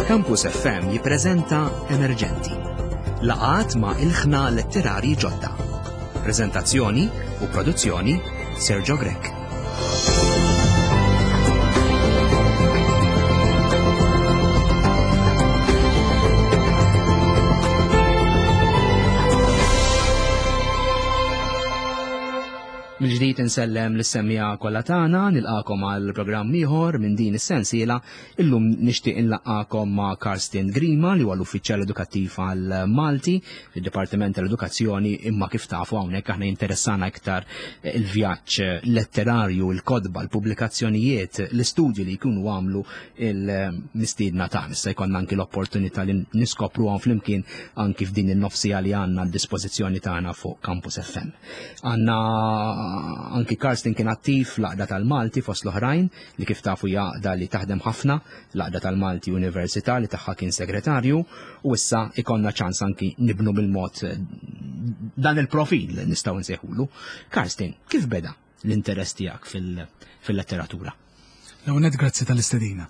Campus FM jippreżenta Emerġenti. Laqat ma' ilħna letterari ġodda. Preżentazzjoni u produzzjoni Sergio Grech. Mill-ġdid insellem lis-semmiegħa kollha tagħna, nilqakom għal programm ieħor minn din is-sensiela. Illum nixtieq inlaqqakom ma' Karsten Grima li huwa l-uffiċjal edukattiv għal Malti fid-Dipartiment tal-Edukazzjoni imma kif tafu hawnhekk aħna jinteressana iktar il-vjaġġ letterarju, il-kotba, l-pubblikazzjonijiet, l-istudji li jkunu għamlu il-mistiedna tagħna. Issa jkollna anki l-opportunità li niskopruhom flimkien anki f'din in-nofsija li għandna d-dispożizzjoni tagħna fuq Campus FM. Għanna anki Karsten kien attiv l-Għaqda tal-Malti fost l-oħrajn li kif tafu hija għaqda li taħdem ħafna l-Għaqda tal-Malti Università li tagħha kien segretarju u issa ikonna ċans anki nibnu bil-mod eh, dan il-profil li nistgħu nsejħulu. Karsten, kif beda l-interess tiegħek fil-letteratura? L-ewwel grazzi tal-istedina.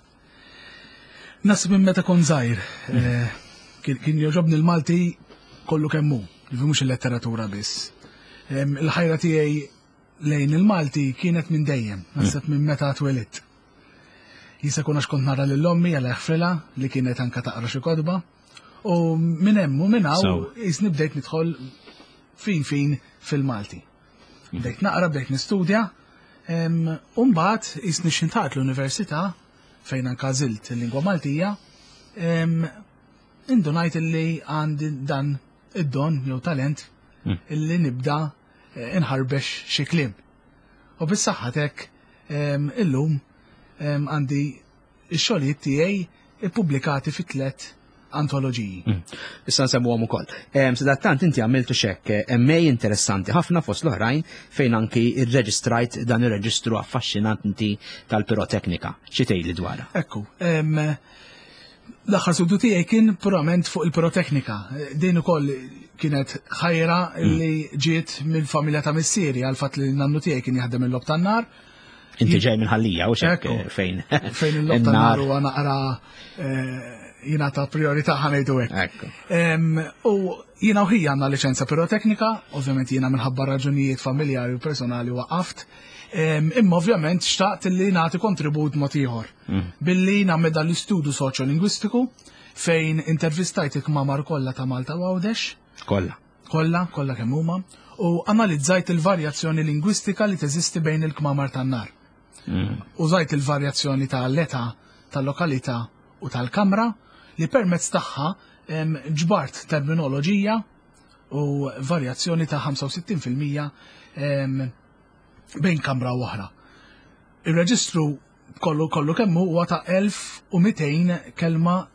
Nasib minn meta kont żgħir, eh, kien joġobni l-Malti kollu kemm hu, jiġifieri mhux il-letteratura biss. Il-ħajra tiegħi lejn il-Malti kienet minn dejjem, naħseb minn meta twelidt. Jista' jkun għax kont nara lil ommi għal jaħfrilha li kienet anka taqra xi kotba. U minn hemm u minn hawn jisni bdejt nidħol fin fin fil-Malti. Bdejt naqra, bdejt nistudja, u mbagħad jisni xintat l-università fejn anka għażilt il-lingwa Maltija, indunajt illi għandi dan id-don jew talent hmm. illi nibda eh, inħarbex xi kliem. U bis-saħħa tek illum għandi ix-xogħlijiet tiegħi ippubblikati fi tlet antoloġiji. Mm. Issa nsemmuhom ukoll. Sadattant inti għamiltu xekk eh, MA interessanti ħafna fost l-oħrajn fejn anki irreġistrajt dan ir-reġistru affaxxinanti tal-piroteknika. Xi tgħidli dwarha? Ekku, l-aħħar studju tiegħi kien purament fuq il-piroteknika. Din ukoll kienet ħajra mm. li ġiet mill-familja ta' missieri għal fatt li nannu tiegħi kien jaħdem il-lob tan-nar Inti ġej minn ħallija u xek eh, fejn. Fejn il-lob tan-nar huwa naqra eh, jingħata priorità ħanejdu hekk. U jiena u ħija għandna liċenza piroteknika, ovvjament jiena minħabba raġunijiet familjari u personali waqaft. Imma ovvjament xtaqt li nagħti kontribut mod ieħor. Mm. Billi nagħmel dan l-istudju soċjolingwistiku fejn intervistajt il-kmamar kollha ta' Malta u Għawdex. Kollha. Kollha, kollha kemm huma, u analizzajt il-varjazzjoni lingwistika li teżisti bejn il-kmamar tan-nar. Mm. Użajt il-varjazzjoni ta' l-età, tal-lokalità u tal-kamra li permezz tagħha ġbart terminoloġija u varjazzjoni ta' 65% bejn kamra u oħra. Ir-reġistru kollu kollu kemm huwa ta' 1200 kelma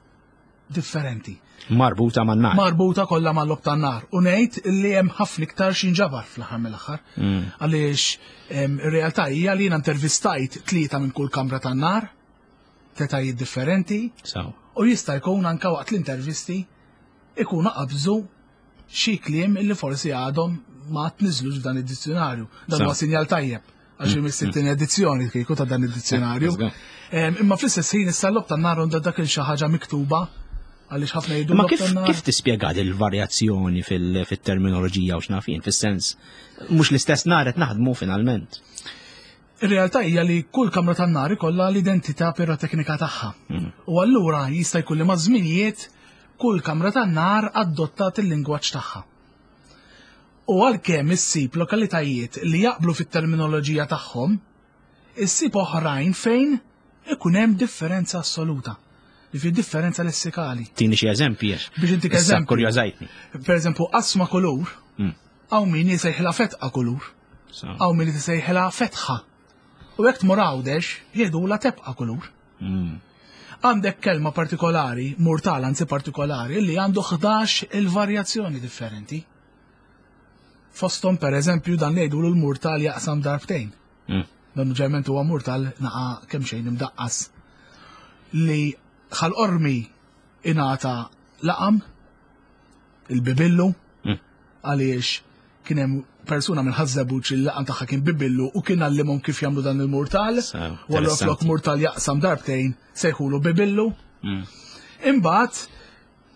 differenti. Marbuta man-nar. Marbuta kollha mal-lob tan-nar. U ngħid li hemm ħafna iktar x'inġabar fl-aħħar mill-aħħar. Mm. Għaliex ir-realtà hija li jiena intervistajt tlieta minn kull kamra tan-nar, tetajiet differenti. U jista' jkun anke waqt l-intervisti ikunu qabżu xi kliem illi forsi għadhom ma tniżlux f'dan id-dizzjonarju. Dan huwa sinjal tajjeb għax mm. mis-sittin edizzjoni kieku ta' dan id-dizzjonarju. Imma fl-istess ħin issa l-lob tan-nar għandha dak il xi ħaġa miktuba għaliex ħafna jgħidu. Ma kif kif tispjega il-varjazzjoni fil-terminoloġija u x'nafin, fis-sens mhux l-istess nar qed naħdmu finalment. Ir-realtà hija li kull kamra tan-nar ikollha l-identità piroteknika tagħha. Mm. U allura jista' jkun li maż-żminijiet kull kamra tan-nar adottat il-lingwaġġ tagħha. U għalkemm issib lokalitajiet li jaqblu fit-terminoloġija tagħhom, issib oħrajn fejn ikun hemm differenza assoluta. Jiġifieri differenza lessikali. Tini xi eżempji. Biex intik eżempju. Kurjożajtni. Per eżempju, qasma kulur, mm. hawn min jisejħilha fetqa kulur. Hawn min jisejħilha fetħa. U jekk tmur Għawdex, jgħidulha tebqa kulur. Mm. Għandek kelma partikolari, murtal anzi partikolari, li għandu 11 il-varjazzjoni differenti. Fostom per eżempju dan li jgħidulu l-murtal jaqsam darbtejn. Mm. Dan ġerment huwa murtal naqa kemm xejn imdaqqas. Li ħal-qormi ingħata laqam il-bibillu mm. għaliex kien hemm persuna minn Ħaż-Żebbuġ li l-laqam tagħha kien Bibillu u kien għallimhom kif jagħmlu dan il-murtal. U allura flok murtal jaqsam darbtejn sejħulu Bibillu. Mm. Imbagħad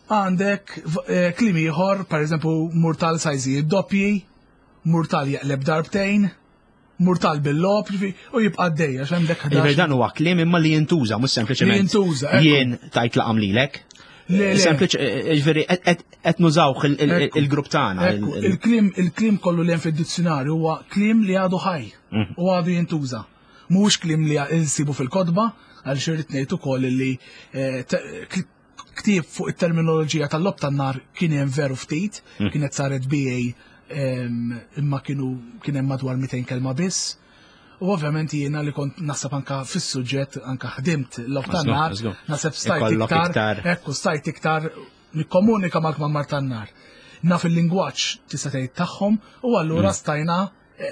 għandek eh, kliem ieħor, pereżempju murtal sajżijiet doppji, murtal jeqleb darbtejn, murtal bil-lob, u jibqa' għaddej għax għandek 11. Dan huwa kliem imma li jintuża, mhux sempliċement. Li jintuża. Jien tajt laqam lilek. Sempliċ, eh, eh, ġifieri qed nużawh il-grupp tagħna. Il-kliem il-kliem kollu li hemm fid-dizzjonarju huwa kliem li għadu ħaj mhm. u għadu jintuża. Mhux kliem li insibu fil-kotba, għal xirrid ngħid ukoll li eh, ktieb fuq it-terminoloġija tal-lob tan-nar kien hemm veru ftit, mm. kienet saret BA imma kienu kien hemm madwar 200 kelma biss. U ovvjament jiena li kont naħseb anka fis-suġġett anka ħdimt l-lob tan-nar, naħseb stajt iktar, ekku stajt iktar nikkomunika mal-kmamar tan-nar. Naf il-lingwaġġ tista' tgħid tagħhom u allura mm. stajna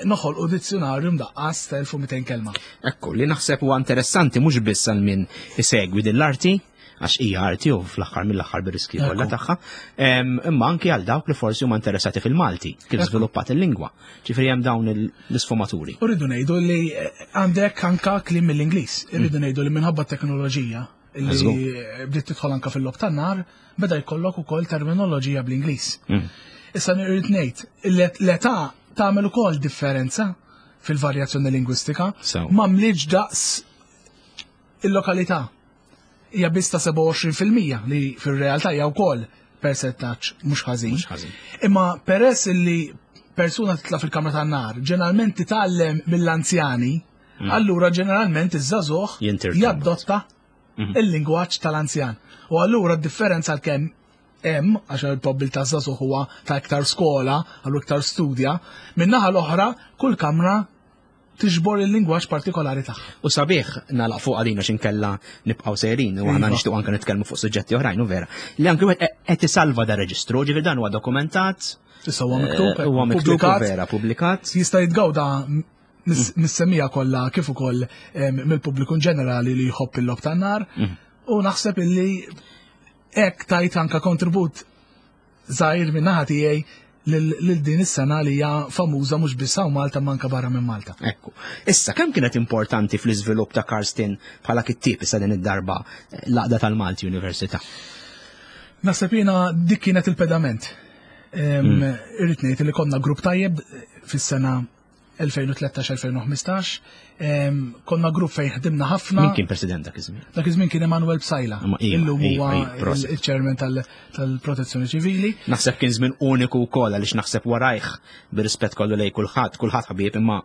noħolqu dizzjonarju mdaqqas ta' 1200 kelma. Ekku, li naħseb huwa interessanti mhux biss għal min isegwi din l-arti, għax hija arti u fl-aħħar mill-aħħar bir-riski kollha tagħha, imma anki għal dawk li forsi huma interessati fil-Malti, kif żviluppat il-lingwa. Ġifieri hemm dawn l-isfumaturi. U rridu ngħidu li eh, għandek anka kliem mill-Ingliż, irridu mm. ngħidu li minħabba t-teknoloġija li bdiet tidħol anka fil-lob tan-nar, beda jkollok ukoll terminoloġija bl-Ingliż. Mm. Issa nirrid ngħid, l-età tagħmel ukoll differenza fil-varjazzjoni lingwistika, ma mliġ daqs il-lokalità. Hija biss ta' 27% li fir-realtà hija wkoll percentaġġ mhux ħażin. Imma peress li persuna titla' fil-kamra tan-nar, ġeneralment titgħallem mill-anzjani, mm. allura ġeneralment iż-żagħżugħ jaddotta mhm. il-lingwaġġ tal-anzjan. U allura d-differenza għalkemm hemm għax il-probbiltà żagħżugħ huwa ta' iktar skola, għallu iktar studja, min-naħa l-oħra kull kamra tiġbor il-lingwaġġ partikolari tagħha. U sabiħ nagħlaq fuq għalina x'inkella nibqgħu sejrin u aħna iva. nixtiequ anke nitkellmu fuq suġġetti oħrajn u vera. Li anke wieħed qed isalva da reġistru, ġifieri dan huwa dokumentat. Issa huwa miktub, eh, huwa miktub vera publikat. Jista' jitgawda mis-semija kollha kif ukoll mill-pubbliku ġenerali li jħobb il-lob tan-nar. Mm. U naħseb illi hekk tajt anka kontribut żgħir minn naħa tiegħi lil din is-sena li hija famuża mhux biss hawn Malta manka barra minn Malta. Ekku. Issa kemm kienet importanti fl-iżvilupp ta' Karsten bħala kittieb issa din id-darba eh, l-għaqda tal-Malti Università? Naħseb jiena dik kienet il-pedament. Mm. Irrid ngħid li konna grupp tajjeb fis-sena 2013-2015. Konna grupp fejn ħdimna ħafna. Min kien president dak iż-żmien? Dak iż-żmien kien Emanuel Psajla. Iva, Illum iva, huwa iva, il-chairman tal-Protezzjoni Ċivili. Naħseb kien żmien uniku wkoll għaliex naħseb warajh bir-rispett kollu lej kulħadd, kulħadd ħbieb imma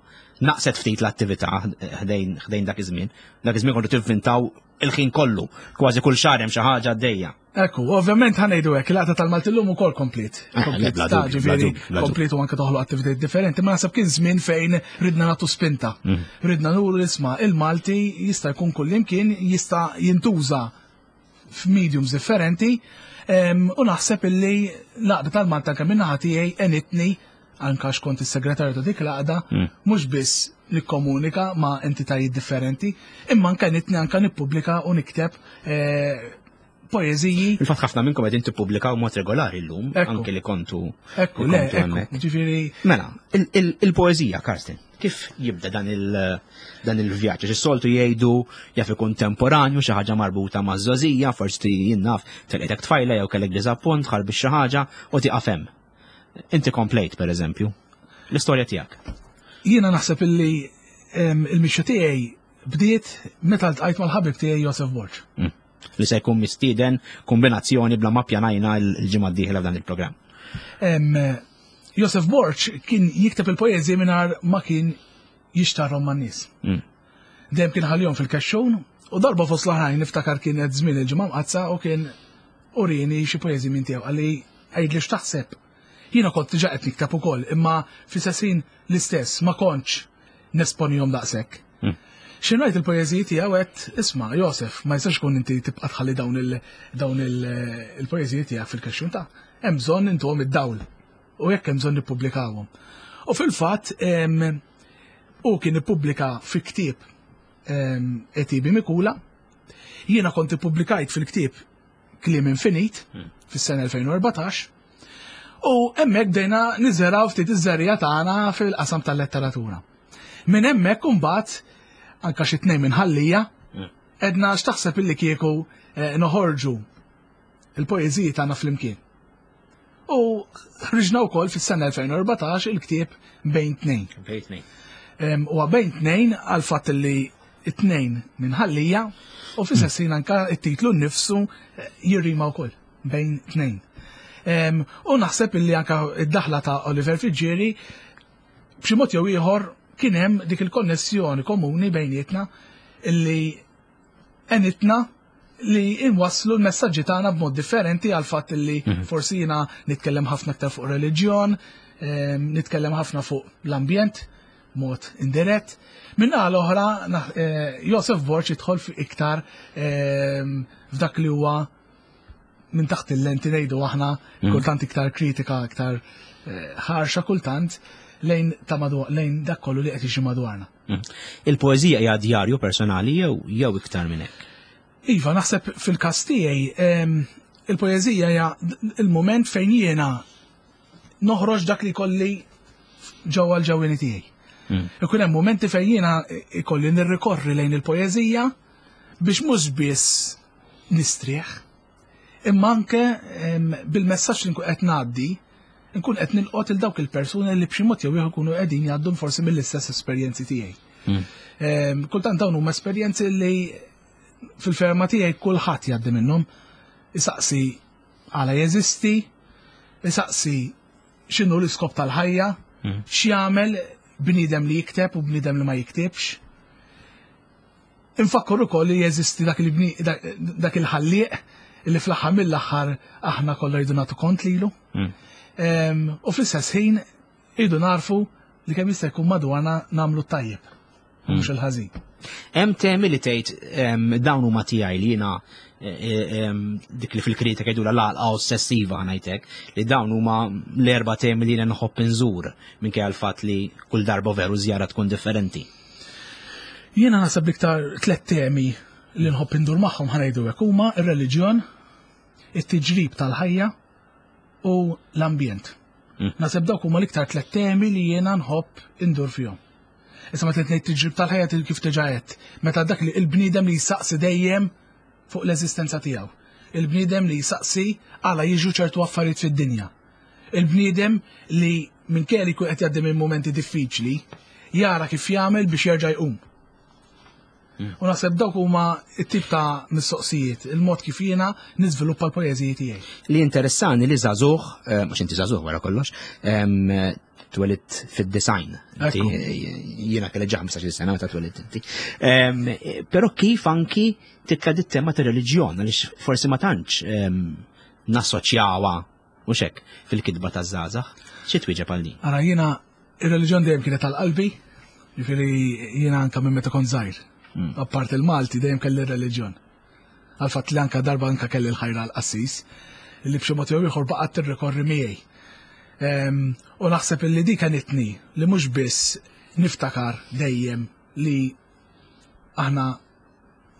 naqset ftit l-attività ħdejn dak iż-żmien. Dak iż-żmien kontu tivvintaw il-ħin kollu, kważi kull xahar hemm xi ħaġa għaddejja. Ekku, ovvjament ħanejdu hekk, il-għata tal-Malti llum ukoll komplet. Eh, Komplet, ta' ġifieri, komplet u anke toħloq attivitajiet differenti, ma naħseb kien żmien fejn ridna nagħtu spinta. Mm. Ridna nuru isma' il-Malti jista' jkun kullimkien, jista' jintuża f'mediums differenti, u naħseb illi l-għaqda tal-Malta anke min-naħa tiegħi għenitni anka xkont is-segretarju ta' dik l-għaqda, mm. mhux biss nikkomunika ma' entitajiet differenti, imma anke nitni anke nippubblika u nikteb eh, poeżiji. Il-fatt ħafna minnkom qegħdin tippubblikaw mod regolari llum, anke li kontu. Ekku, le, ekku, ġifieri. Mela, il-poeżija, Karsten, kif jibda dan il il-vjaġġ? Is-soltu jgħidu jaf ikun temporanju xi ħaġa marbuta ma' żożija, forsi jien naf telqetek tfajla jew kellek diżappunt, ħarbi xi ħaġa u tieqaf hemm. Inti komplejt, per eżempju, l-istorja tiegħek. Jiena naħseb illi il-mixja tiegħi bdiet meta ltqajt mal-ħabib tiegħi Josef Borg. Mm. Li se jkun mistieden kombinazzjoni bla ma pjanajna l-ġimgħa d-dieħla f'dan il-programm. Josef Borg kien jikteb il-poeżiji mingħajr ma kien jixtarhom man-nies. Mm. Dejjem kien ħalihom fil-kexxun u darba fost l-oħrajn niftakar kienet żmien il-ġimgħa mqazza u kien urini xi poeżiji minn tiegħu qalli għidli x'taħseb. Jiena kont diġà qed nikteb ukoll, imma fl-istess ħin l-istess ma kontx nesponihom daqshekk. Hmm. Xi ngħid il-poeżiji tiegħu qed isma' Josef, ma jistax ikun inti tibqa' tħalli dawn il dawn il-poeżiji tiegħek fil-kexxun ta' hemm bżonn intuhom id-dawl u jekk hemm bżonn nippubblikawhom. U fil-fatt hu kien ippubblika fi ktieb Etibi Mikula, jiena kont ippubblikajt fil-ktieb Kliem Infinit hmm. fis-sena 2014 u hemmhekk bdejna niżeraw ftit iż-żerriegħa tagħna fil-qasam tal-letteratura. Minn hemmhekk imbagħad anka xi tnejn minn ħallija hmm. edna x'taħseb illi kieku eh, noħorġu il-poeżiji tagħna flimkien. U ħriġna wkoll fis-sena 2014 il-ktieb Bejn Tnejn. Bejn Tnejn. Huwa Bejn Tnejn għal fatt li it-tnejn minn ħallija u fl-istess ħin anka it-titlu nnifsu eh, jirrima wkoll bejn tnejn. U naħseb illi anka id-daħla ta' Oliver Fiġġieri b'xi mod jew ieħor kien hemm dik il-konnessjoni komuni bejnietna illi għenitna li inwasslu l-messaġġi tagħna b'mod differenti għal fatt li mhm. forsi jiena nitkellem ħafna aktar fuq reliġjon, ehm, nitkellem ħafna fuq l-ambjent mod indirett. Minna l-oħra eh, Josef Borg jidħol iktar ehm, f'dak li huwa minn taħt il-lenti ngħidu aħna mm. kultant iktar kritika, iktar eh, ħarxa kultant lejn ta' madwar lejn dak kollu li qed jiġi madwarna. Mm. Il-poeżija hija djarju personali jew jew iktar minn hekk? Iva, naħseb fil-każ tiegħi ehm, il-poeżija hija il-mument fejn jiena noħroġ dak li kolli ġewwa l-ġewwieni tiegħi. Mm. Ikun hemm momenti fejn jiena ikolli nirrikorri lejn il-poeżija biex mhux biss nistrieħ, imma anke bil-messaġġ li nkun qed ngħaddi, nkun qed nilqot il dawk il-persuni li b'xi mod jew ieħor ikunu qegħdin jgħaddu forsi mill-istess esperjenzi tiegħi. Hmm. Kultant dawn huma esperjenzi li fil-ferma tiegħi kulħadd jgħaddi minnhom. Isaqsi għala jeżisti, isaqsi x'inhu l-iskop tal-ħajja, hmm. x'jagħmel bniedem li jikteb u bniedem li ma jiktibx. Infakkar ukoll li jeżisti dak dak il-ħallieq li fl-aħħar mill-aħħar aħna kollha rridu nagħtu kont lilu. Hmm. U fl-istess ħin irridu narfu li kemm jista' jkun madwarna nagħmlu tajjeb hmm. mhux il-ħażin. Hemm temi li tgħid dawn huma tiegħi li jiena e, e, dik li fil-kritika jgħidula l-għalqa ossessiva ngħidlek li dawn huma l-erba' temi li jiena nħobb inżur minkejja l-fatt li kull darba veru żjara tkun differenti. Jiena naħseb l-iktar tlet temi li nħobb indur magħhom ħanejdu hekk huma ir-reliġjon, it-tiġrib tal-ħajja u l-ambjent. Mm. Naħseb dawk huma l-iktar tlet temi li jiena nħobb indur fihom. Issa meta ngħid tiġrib tal-ħajja kif diġà għedt, meta dak li il-bniedem li jsaqsi dejjem fuq l-eżistenza tiegħu. Il-bniedem li jsaqsi għala jiġu ċertu affarijiet fid-dinja. Il-bniedem li minkejja li jkun qed jgħaddi minn mumenti diffiċli, jara kif jagħmel biex jerġa' jqum. Hmm. U naħseb dawk huma t-tip ta' mistoqsijiet, il-mod kif jiena niżviluppa l-poeżiji tiegħi. Li interessani li żagħżugħ, eh, mhux inti żagħżugħ wara kollox, twelidt fid-design. Jiena kelli ġa 15 sena meta twelidt inti. Però kif anki titla' dit-tema ta' reliġjon għaliex forsi ma tantx nassoċjawha Mhux hekk, fil-kitba taż-żgħażagħ. Xi twieġeb għal din? Ara jiena ir-reliġjon dejjem kienet għal qalbi, jiġifieri jiena anke minn meta kont żgħir. Hmm. Apart il-Malti dejjem kelli r-reliġjon. Għal fatt li anke darba anke kelli l-ħajra l-qassis, li b'xi mod jew ieħor baqgħet tirrikorri miegħi. Ehm, u naħseb illi dik għenitni li mhux biss niftakar dejjem li aħna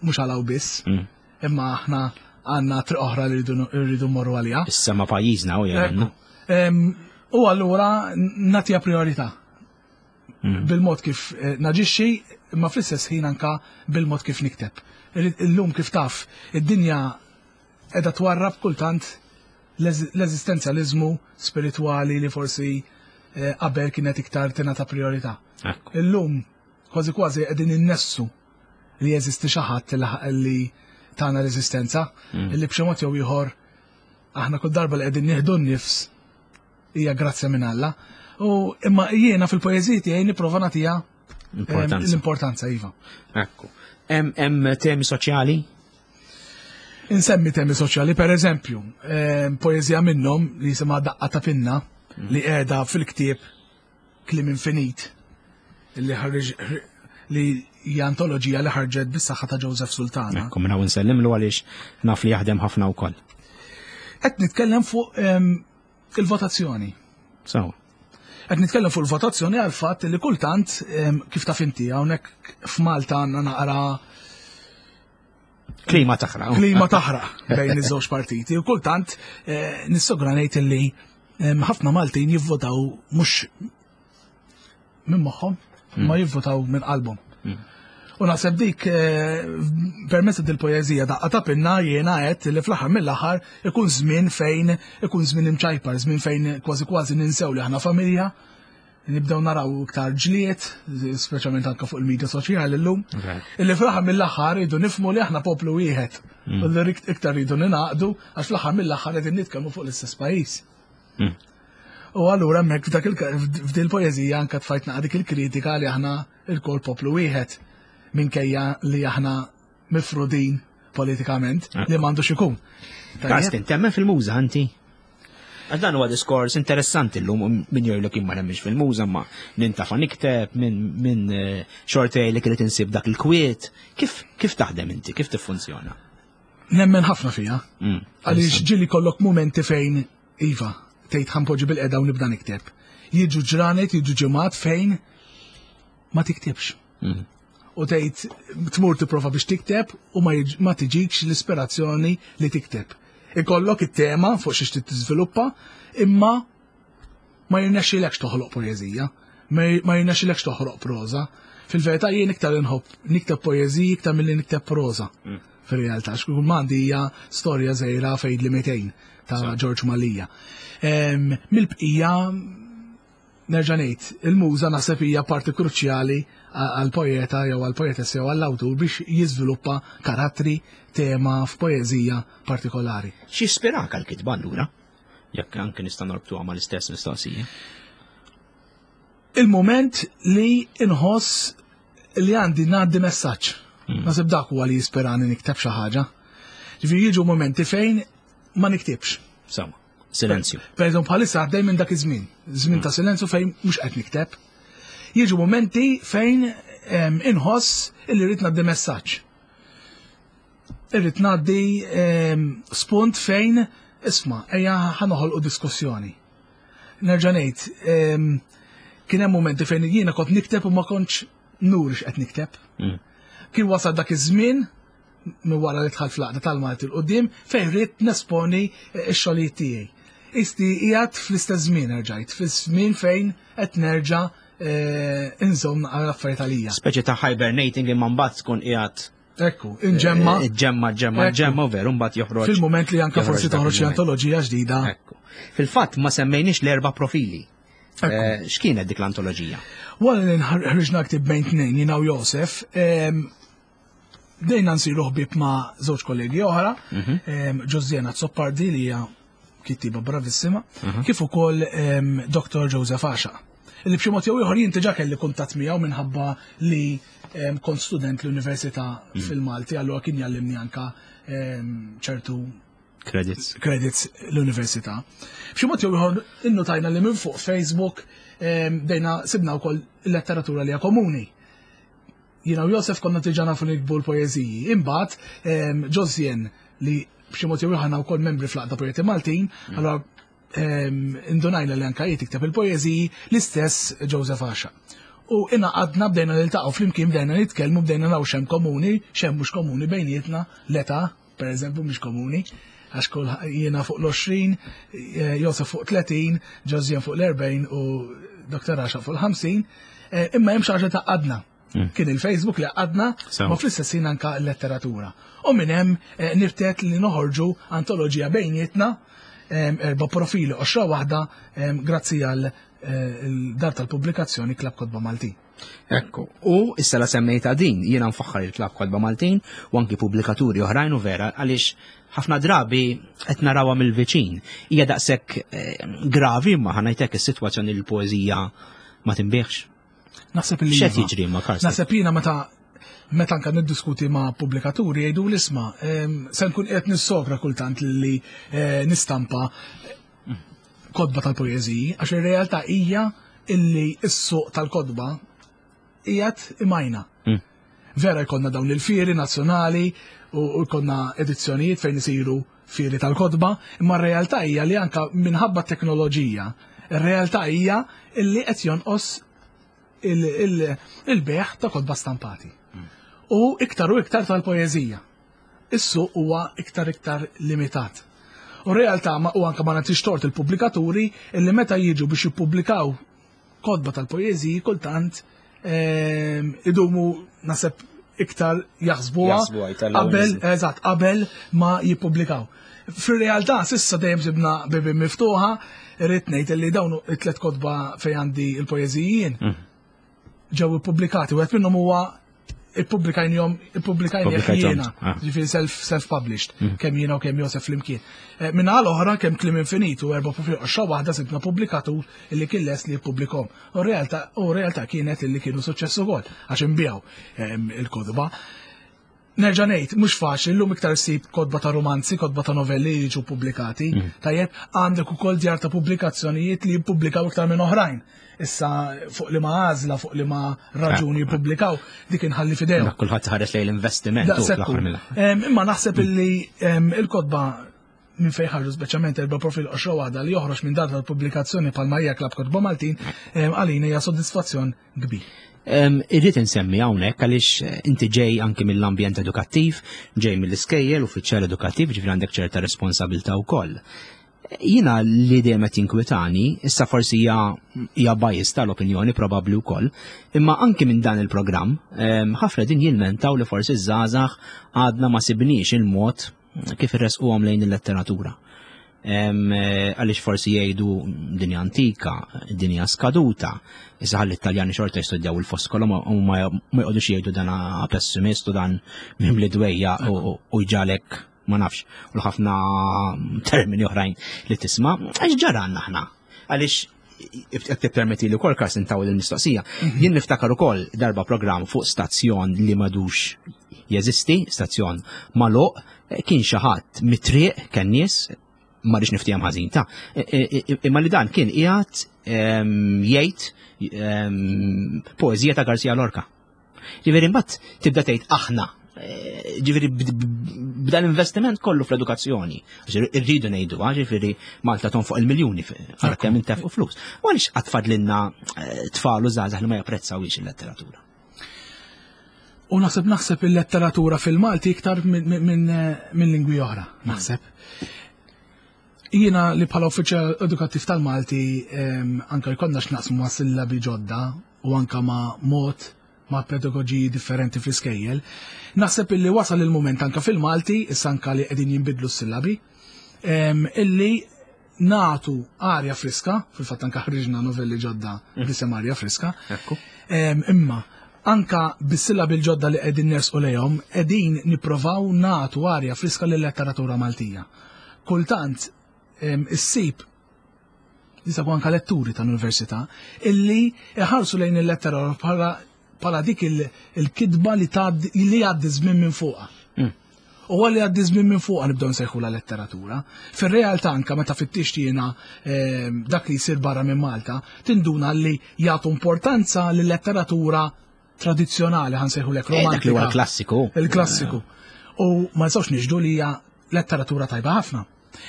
mhux għalaw biss, mm. imma aħna għandna triq oħra li rridu mmorru għaliha. Issa ma pajjiżna u jgħinna. U allura nagħtiha priorità. Mm. Bil-mod kif eh, naġixxi, imma fl-istess ħin anka bil-mod kif nikteb. Illum kif taf, id-dinja qiegħda twarrab kultant l-eżistenzjaliżmu spiritwali li forsi eh, qabel kienet iktar tingħata priorità. Illum kważi kważi qegħdin innessu li jeżisti xi ħadd li tagħna l-eżistenza, mm. li b'xi mod jew ieħor aħna kull darba li qegħdin nieħdu n-nifs hija grazzja minn Alla. U imma jiena fil-poeżiji tiegħi nipprova nagħtiha l-importanza iva. Ekku. Hemm temi soċjali? Insemmi temi soċjali, per eżempju, poeżija minnhom li jisimha Daqqa ta' Pinna mm. li qiegħda fil-ktieb Kliem Infinit li ħarġ li hija antoloġija li ħarġet bis-saħħa ta' Joseph Sultana. Ekku minn hawn insellimlu għaliex naf li jaħdem ħafna wkoll. Qed nitkellem fuq ehm, il-votazzjoni. Sawa. Qed nitkellem fuq il-votazzjoni għal fatt li kultant ehm, kif taf inti hawnhekk f'Malta għandna naqra Klima taħraq. Klima taħraq bejn iż-żewġ partiti. U kultant eh, nissogra ngħid li ehm, ħafna Maltin jivvotaw mhux minn moħħhom, hmm. ma jivvotaw minn qalbhom. Hmm. U naħseb dik eh, permezz dil-poeżija daqqa ta' pinna jiena għedt li fl-aħħar mill-aħħar ikun żmien fejn ikun żmien imċajpar, żmien fejn kważi kważi ninsew li aħna familja, nibdew naraw iktar ġlied, speċjalment anke fuq il-medja soċjali llum, illi fl-aħħar mill-aħħar rridu nifhmu li aħna poplu wieħed. U li iktar rridu ningħaqdu għax fl-aħħar mill-aħħar qegħdin nitkellmu fuq l-istess pajjiż. U allura hemmhekk f'dak f'dil poeżija anke tfajt naqa' dik il-kritika li aħna lkoll poplu wieħed minkejja li aħna mifrudin politikament li m'għandux ikun. Karsten, temmen fil-muża inti? Għax dan huwa diskors interessanti llum min jgħidlek jien ma nemminx fil-muża ma nintafa nikteb minn eh, xortej li kienet insib dak il-kwiet. Kif kif taħdem inti? Kif tiffunzjona? Nemmen ħafna fija. Għaliex ġieli kollok momenti fejn Iva, tgħid ħa npoġġi bil-qeda u nibda nikteb. Jiġu ġranet, jiġu ġimgħat fejn ma tiktibx. U tgħid tmur tipprova biex tikteb u ma tiġikx l-ispirazzjoni li tikteb. Ikollok it-tema fuq xiex trid tiżviluppa, imma ma jirnexxilekx toħloq poeżija, ma jirnexxilekx toħloq proża. Fil-verità jien iktar inħobb nikteb poeżiji iktar milli nikteb proża. Fir-realtà, x'kull m'għandi hija storja żgħira fejn li 200 ta' George Mallia. Mill-bqija nerġa' ngħid, il-muża naħseb hija parti kruċjali għall-poeta jew għall-poetessa jew għall-awtur biex jiżviluppa karattri, tema f'poeżija partikolari. X'ispirak għall-kitba allura? Jekk anke nista' norbtuha mal-istess mistoqsija. Il-mument li inħoss li għandi ngħaddi messaġġ. Naħseb dak huwa li jisperani nikteb xi ħaġa. Ġifieri jiġu momenti fejn ma niktibx. Sawa, silenzju. Per eżempju bħalissa għaddej minn dak iż-żmien, żmien ta' silenzju fejn mhux qed nikteb. Jiġu momenti fejn inħoss illi rrid ngħaddi messaġġ. Irrid ngħaddi spunt fejn isma' ejja ħa noħolqu diskussjoni. Nerġa' ngħid, kien hemm momenti fejn jiena kont nikteb u ma kontx nuri x'qed nikteb. Kien wasal dak iż-żmien minn wara li dħalt fl-għaqda tal-Malti 'l quddiem fejn ridt nesponi x-xogħlijiet tiegħi. Isti qiegħed fl-istess żmien erġajt, fiż-żmien fejn qed nerġa' inżomm naqra l-affarijiet għalija. Speċi ta' hibernating imma mbagħad tkun qiegħed Ekku, inġemma. Eh, ġemma, ġemma, ġemma, veru, mbagħad joħroġ. Fil-moment li anka forsi toħroġ xi antoloġija ġdida. Ekku. Fil-fatt ma semmejniex l-erba' profili. Eh, x'kienet dik l-antoloġija? Wara li ħriġna ktib bejn tnejn jiena u Josef, dejna nsiru ħbieb ma' żewġ kollegi oħra, Ġożjena Azzopardi li hija kittiba bravissima, kif ukoll Dr. Joseph Asha. Li b'xi mod jew ieħor jien diġà kelli kuntatt miegħu minħabba li kont student l-università fil-Malti, allura kien jallimni anka ċertu credits. Credits l-università. B'xi mod jew ieħor innotajna li minn fuq Facebook bdejna sibna wkoll letteratura li hija komuni. Jiena u Josef konna diġà nafu nikbu l-poeżiji. Imbagħad Josien li b'xi mod jew ieħor aħna wkoll membri fl-Għaqda Poeti Maltin, allura indunajna li anka hi tikteb il-poeżiji l-istess Joseph Asha. U ingħaqadna bdejna niltaqgħu flimkien bdejna nitkellmu bdejna naraw x'hemm komuni, x'hemm mhux komuni bejnietna, l-età, per eżempju, mhix komuni, għax kull jiena fuq l-20, eh, Josef fuq 30, Josien fuq l-40 u Dr. Asha fuq l-50, eh, imma hemm xi ħaġa tgħaqqadna. Kien il-Facebook li għadna, ma fl-istess ħin anka l-letteratura. U minn hemm eh, niftet li noħorġu antoloġija bejnietna, erba' profili oxra waħda, grazzi għal eh, dar tal-pubblikazzjoni Klabb Kotba Maltin. Ekku, u issa la semmejta din, jiena nfaħħar il-Klabb Kotba Maltin u anki pubblikaturi oħrajn u vera għaliex ħafna drabi qed narawha mill-viċin. Hija daqshekk eh, gravi imma ħanajtek is-sitwazzjoni l-poeżija ma tinbieħx. Naħseb li. X'qed jiġri ma' Karsten? Naħseb jiena meta meta anka niddiskuti ma' pubblikaturi jgħidu l-isma' se nkun qed nissokra kultant li eh, nistampa kotba tal-poeżiji, għax ir-realtà hija illi s-suq tal-kotba qiegħed imajna. Vera jkollna dawn il-fieri nazzjonali u jkollna edizzjonijiet fejn isiru fieri tal-kotba, imma r-realtà hija li anka minħabba t-teknoloġija, ir-realtà hija illi qed jonqos il-bejgħ ta' kotba stampati. U iktar u iktar tal-poeżija. Is-suq huwa iktar iktar limitat. U r-realtà u anka ma nagħtix tort il-pubblikaturi illi meta jiġu biex jippubblikaw kotba tal-poeżiji kultant idumu naħseb iktar jaħsbuha qabel eżatt qabel ma jippubblikaw. Fir-realtà s'issa dejjem sibna bibien miftuħa, irrid ngħid li dawn it-tlet kotba fejn għandi il-poeżiji mm. ġew ippubblikati, wieħed minnhom huwa ippubblikajnihom ippubblikajnih jiena, ah. ġifieri self self-published, mm. kemm jiena u kemm Josef flimkien. Eh, minna l-oħra kemm klim infinit u erba' fuq qoxxa waħda sibna pubblikatur illi kien lest li jippubblikhom. U realtà u realtà kienet illi kienu suċċess ukoll għax inbiegħu ehm, il-kotba. Nerġa' ngħid, mhux faċli llum iktar ssib kotba ta' romanzi, kotba ta' novelli li jiġu pubblikati. Mm. Tajjeb, għandek ukoll djar ta' pubblikazzjonijiet li jippubblikaw iktar minn oħrajn. Issa fuq li ma għażla, fuq li ma raġuni jippubblikaw, dik inħalli fidejhom. Kulħadd ħares lejn l-investiment. Imma naħseb illi il-kotba minn fejn ħarġu speċjalment erba' profil qoxra waħda li joħroġ minn data tal-pubblikazzjoni palma hija Klabb Kotba Maltin għalina hija sodisfazzjon kbir. Irrid insemmi hawnhekk għaliex eh, inti ġej anki mill-ambjent edukattiv, ġej mill-iskejjel, uffiċjal edukattiv, ġifieri għandek ċerta responsabilità wkoll. Jiena li dejjem qed jinkwitani, issa forsi hija hija bias tal-opinjoni probabbli wkoll, imma anki minn dan il-programm ħafna din jilmentaw li forsi żgħażagħ għadna ma sibniex il-mod kif irresquhom lejn il-letteratura. Eh, għaliex forsi jgħidu dinja antika, dinja skaduta, issa ħalli t-Taljani xorta jistudjaw il-foskolo u ma jqogħdux jgħidu dan pessimist u dan mimli dwejja u jġalek ma nafx u l-ħafna termini oħrajn li tisma' għax ġara għandna aħna. Għaliex jekk tippermetti li wkoll Carsten tawel il-mistoqsija, mhm. jien niftakar ukoll darba programm fuq stazzjon li madux jeżisti, stazzjon magħluq, eh, kien xi ħadd mit-triq kien nies ma rridx niftihom ħażin ta' e, e, e, imma li dan kien qiegħed ehm, jgħid ehm, poeżija ta' Garcia Lorca. Ġifieri mbagħad tibda tgħid aħna eh, ġifieri b'dan investiment kollu fl-edukazzjoni. Irridu ngħidu, ah, ġifieri Malta tonfoq il-miljuni għal kemm intefqu flus. U għaliex qatt fadlilna eh, tfal u żgħażagħ li ma japprezzawix il-letteratura. U naħseb naħseb il-letteratura fil-Malti iktar minn eh, lingwi oħra, naħseb. Jiena li bħala uffiċjal edukattiv tal-Malti anka jkollna x'naqsmu ma' sillabi ġodda u anka ma' mod ma' pedagoġiji differenti fl-iskejjel, naħseb illi wasal il-mument anka fil-Malti, issa anka li qegħdin jinbidlu s-sillabi, illi natu arja friska, fil-fatt anka ħriġna novelli ġodda mm. b'isem arja friska. Imma anka bis-sillabi l-ġodda li qegħdin nersqu lejhom, qegħdin nipprovaw natu arja friska lil-letteratura Maltija. Kultant issib jisabu anka letturi tal-università illi iħarsu lejn il-lettera bħala bħala dik il-kitba li li jgħaddi żmien minn fuqha. Mm. U għalli għaddi żmien minn fuqha nibdew nsejħu la letteratura. Fir-realtà anka meta fittix jiena dak li jsir barra minn Malta, tinduna li jagħtu importanza lil-letteratura tradizzjonali ħansejħu lek romantika. Eh, dak li huwa l-klassiku. Il-klassiku. U ma nistgħux nixdu li hija letteratura tajba ħafna.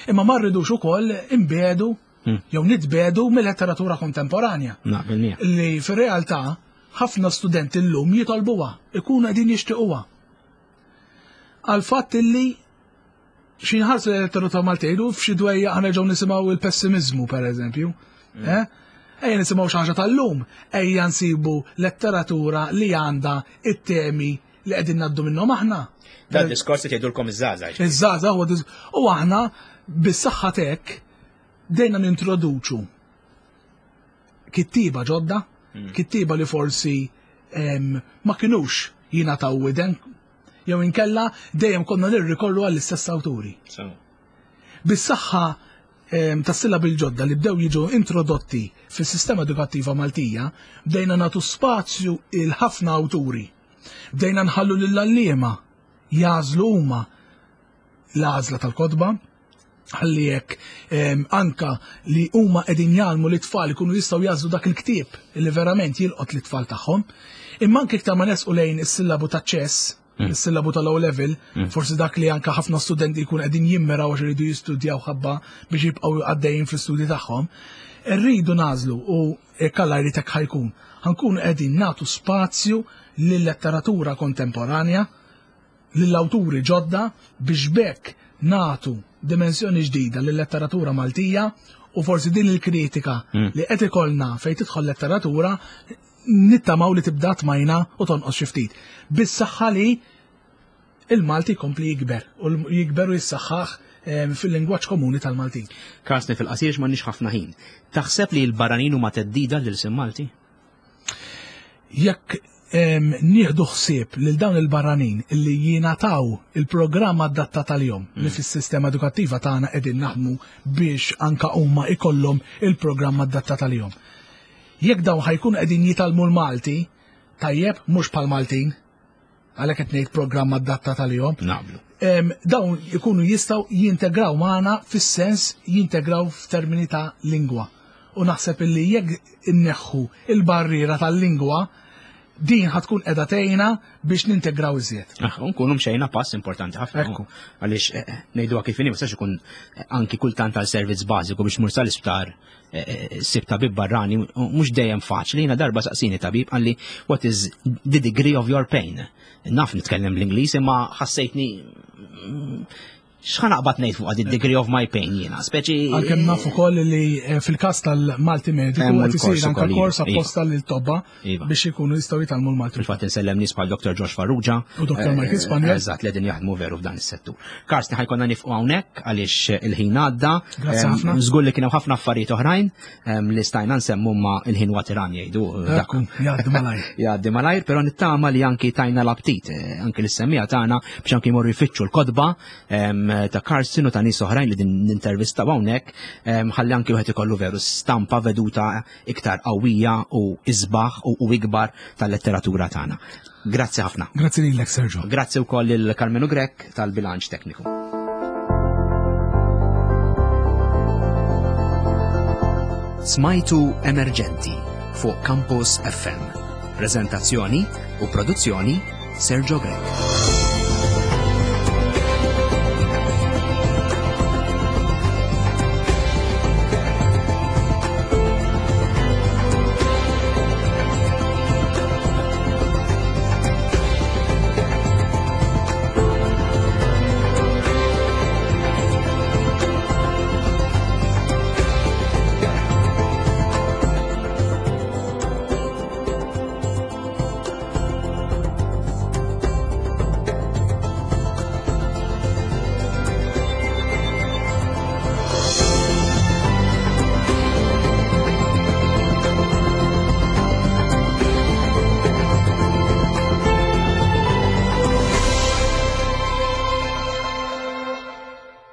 Imma ma rridux ukoll imbedu hmm. jew nitbedu mill-letteratura kontemporanja. Li fir-realtà ħafna studenti llum jitolbuha, ikunu qegħdin jixtiequha. Għal fatt illi xi nħarsu l-letteratura Maltejn u f'xi dwejja aħna ġew nisimgħu il-pessimizmu pereżempju. Mm. Eh? Ejja nisimgħu xi ħaġa tal-lum, ejja nsibu letteratura li għandha it-temi li qegħdin ngħaddu minnhom aħna. Dan diskors li tgħidulkom iż-żgħażagħ. Iż-żgħażagħ huwa u aħna bis-saħħa tek dejna nintroduċu kittiba ġodda, mm. kittiba li forsi ma kinux jingħataw widen jew inkella dejjem konna nirrikorru għall-istess awturi. Bis-saħħa tas sillabi l-ġodda li bdew jiġu introdotti fis-sistema edukattiva Maltija, bdejna nagħtu spazju il ħafna awturi. Bdejna nħallu lill-għalliema jagħżlu huma l-għażla tal-kotba, ħalli jekk anka li huma qegħdin jgħallmu li tfal ikunu jistgħu jagħżlu dak il-ktieb li verament jilqot lit-tfal tagħhom. Imma anke iktar ma nesqu lejn is-sillabu ta' ċess, mm. is-sillabu tal-O level, mm. forsi dak li anka ħafna studenti jkun qegħdin jimmiraw għax iridu jistudjaw ħabba biex jibqgħu għaddejjin fl-istudji tagħhom. Irridu nażlu u jekk Alla jrid hekk ħajkun. Ħankunu qegħdin nagħtu spazju lil-letteratura kontemporanja lill-awturi ġodda biex b'hekk nagħtu dimensjoni ġdida lil-letteratura Maltija u forsi din il-kritika mm. li qed ikollna fejn tidħol letteratura nittamaw li tibda tmajna u tonqos xi ftit. Bis-saħħa li il-Malti jkompli jikber u jikber u jissaħħaħ fil-lingwaġġ komuni tal-Maltin. Karsten fil-qasir m'għandniex ħafna ħin. Taħseb li l-barranin huma theddida lil Malti? Jekk nieħdu ħsieb lil dawn il-barranin illi jingħataw il-programm adattat għalihom li fis-sistema edukattiva tagħna qegħdin naħdmu biex anka huma ikollhom il-programm adattat għalihom. Jekk dawn ħa jkunu qegħdin jitgħallmu l-Malti, tajjeb mhux bħal Maltin, għalhekk qed ngħid programm adattat għalihom. Naqblu. Dawn ikunu jistgħu jintegraw magħna fis-sens jintegraw f'termini ta' lingwa. U naħseb illi jekk inneħħu il-barriera tal-lingwa, din ħa tkun qiegħda tgħinna biex nintegraw iżjed. Ah, nkunu mxejna pass importanti ħafna. Ekku. Għaliex ngħiduha kif inhi, ma jistax ikun anki kultant għal servizz bażiku biex mur sal-isptar sib tabib barrani, mhux dejjem faċli. Jiena darba saqsini tabib qalli what is the degree of your pain? Naf nitkellem bl-Ingliż imma ħassejtni x'ħa naqbad ngħid fuq the degree of my pain jiena, speċi. Għalkemm naf ukoll li fil-każ tal-Malti Mediku Hemm qed isir il-kors anke ukoll, kors iva. apposta lil tobba Iva. biex ikunu jistgħu jitgħallmu l-Malti. Fil-fatt insellem nies bħal Dr. Josh Farrugia. U Dr. Michael Spaniel. Eżatt, li qegħdin jaħdmu veru f'dan is-settur. Karsten ħa jkollna nieqfu hawnhekk għaliex il-ħin għadda. Grazzi ħafna. Żgur li kien hemm ħafna affarijiet oħrajn li stajna nsemmu ma il-ħin huwa tiran jgħidu. Dak. Ekku, jgħaddi malajr. Jgħaddi malajr, però nittama li anki tajna l-aptit, anki l-semmija tagħna biex anki jmorru jfittxu l-kotba ta' Karsten u ta' nies oħrajn li din nintervista hawnhekk, ħalli anki wieħed ikollu veru stampa veduta iktar qawwija u isbaħ u ikbar tal-letteratura tagħna. Grazzi ħafna. Grazzi lilek, Sergio. Grazzi wkoll lil Carmenu Grech tal-bilanċ tekniku. Smajtu Emerġenti fuq Campus FM. Prezentazzjoni u produzzjoni Sergio Grech.